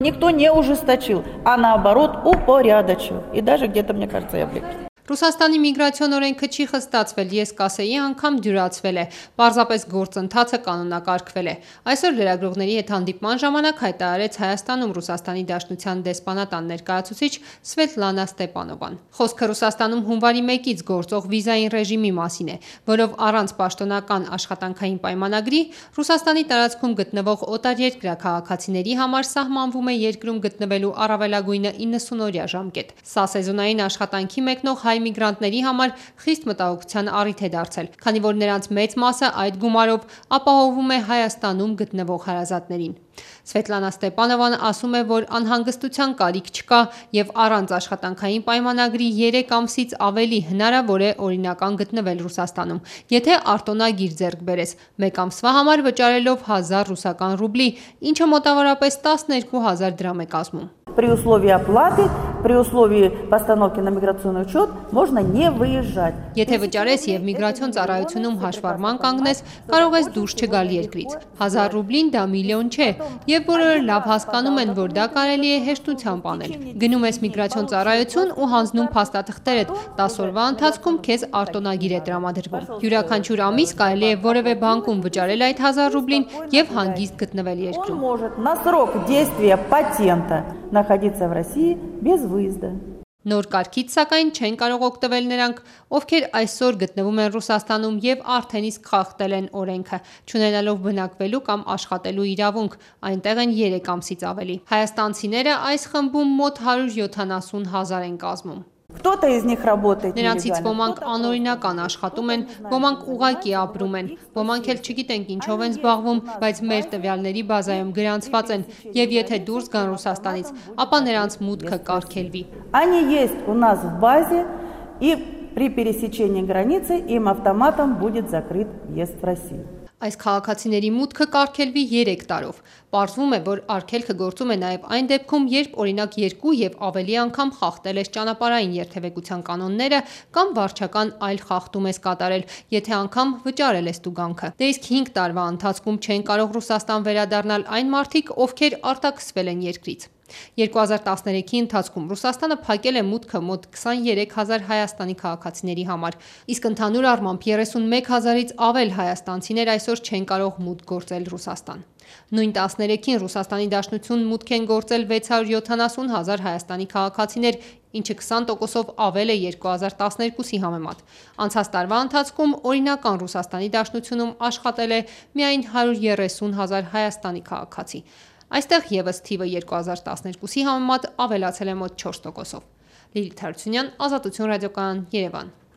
Никто не ужесточил, а наоборот упорядочил. И даже где-то, мне кажется, и облегчил. Ռուսաստանի միգրացիոն օրենքը չի խստացվել, ես կասեի անգամ դյուրացվել է, պարզապես գործընթացը կանոնակարգվել է։ Այսօր լրագրողների հետ հանդիպման ժամանակ հայտարարեց Հայաստանում Ռուսաստանի Դաշնության դեսպանատան ներկայացուցիչ Սվետլանա Ստեպանովան։ Խոսքը Ռուսաստանում հունվարի 1-ից գործող վիզային ռեժիմի մասին է, որով առանց պաշտոնական աշխատանքային պայմանագրի Ռուսաստանի տարածքում գտնվող օտարերկրյա քաղաքացիների համար սահմանվում է երկրում գտնվելու առավելագույնը 90-օրյա ժամկետ։ Սա սեզոնային աշխատանքի մեկնող հայ միգրանտների համար խիստ մտահոգության առիթ է դարձել, քանի որ նրանց մեծ մասը այդ գումարով ապահովում է Հայաստանում գտնվող հարազատներին։ Սվետլանա Ստեպանովան ասում է, որ անհանգստության կարիք չկա եւ առանց աշխատանքային պայմանագրի 3 ամսից ավելի հնարավոր է օրինական գտնվել Ռուսաստանում, եթե արտոնագիր ձեռք բերես, 1 ամսվա համար վճարելով 1000 ռուսական ռուբլի, ինչը մոտավորապես 12000 դրամ է կազմում։ При условии оплаты, при условии постановки на миграционный учет можно не выезжать. Եթե վճարես եւ միգրացիոն ծառայությունում հաշվառման կանգնես, կարող ես դուրս չգալ երկրից։ 1000 ռուբլին դա միլիոն չէ, եւ բոլորը լավ հասկանում են, որ դա կարելի է հեշտությամբ անել։ Գնում ես միգրացիոն ծառայություն ու հանձնում փաստաթղթերդ, 10 օրվա ընթացքում քեզ արտոնագիր է տրամադրվում։ Յուրաքանչյուր ամիս կարելի է որևէ բանկում վճարել այդ 1000 ռուբլին եւ հանգիստ գտնվել երկրում։ Он может на срок действия патента находиться в России без выезда. Նոր կարգից սակայն չեն կարող օգտվել նրանք, ովքեր այսօր գտնվում են Ռուսաստանում եւ արդեն իսկ խախտել են օրենքը, չունենալով բնակվելու կամ աշխատելու իրավունք, այնտեղ են 3 ամսից ավելի։ Հայաստանցիները այս խմբում մոտ 170 000 են կազմում։ Кто-то из них работает. Նրանցից ոմանք անօրինական աշխատում են, ոմանք ուղղակի ապրում են, ոմանք էլ չգիտենք ինչով են զբաղվում, բայց մեր տվյալների բազայում գրանցված են, եւ եթե դուրս գան Ռուսաստանից, ապա նրանց մուտքը կարգելվի։ Они есть у нас в базе, и при пересечении границы им автоматом будет закрыт въезд в Россию. Այս քաղաքացիների մուտքը կարգելվի 3 տարով։ Պարզվում է, որ արգելքը գործում է նաև այն դեպքում, երբ օրինակ 2 եւ ավելի անգամ խախտել ես ճանապարհային երթևեկության կանոնները կամ վարչական այլ խախտում ես կատարել, եթե անգամ վճարել ես տուգանքը։ Դե իսկ 5 տարվա ընթացքում չեն կարող Ռուսաստան վերադառնալ այն մարդիկ, ովքեր արտաքսվել են երկրից։ 2013-ի ընթացքում Ռուսաստանը փակել է մուտքը մոտ 23 000 հայաստանի քաղաքացիների համար, իսկ ընդհանուր առմամբ 31 000-ից ավել հայաստանցիներ այսօր չեն կարող մուտք գործել Ռուսաստան։ Նույն 13-ին Ռուսաստանի Դաշնություն մուտք են գործել 670 000 հայաստանի քաղաքացիներ, ինչը 20%-ով ավել է 2012-ի համեմատ։ Անցած տարվա ընթացքում օրինական Ռուսաստանի Դաշնությունում աշխատել է միայն 130 000 հայաստանի քաղաքացի։ Այստեղ եւս թիվը 2012-ի համեմատ ավելացել է մոտ 4%-ով։ Լիլիթ Հարությունյան, Ազատություն ռադիոկայան, Երևան։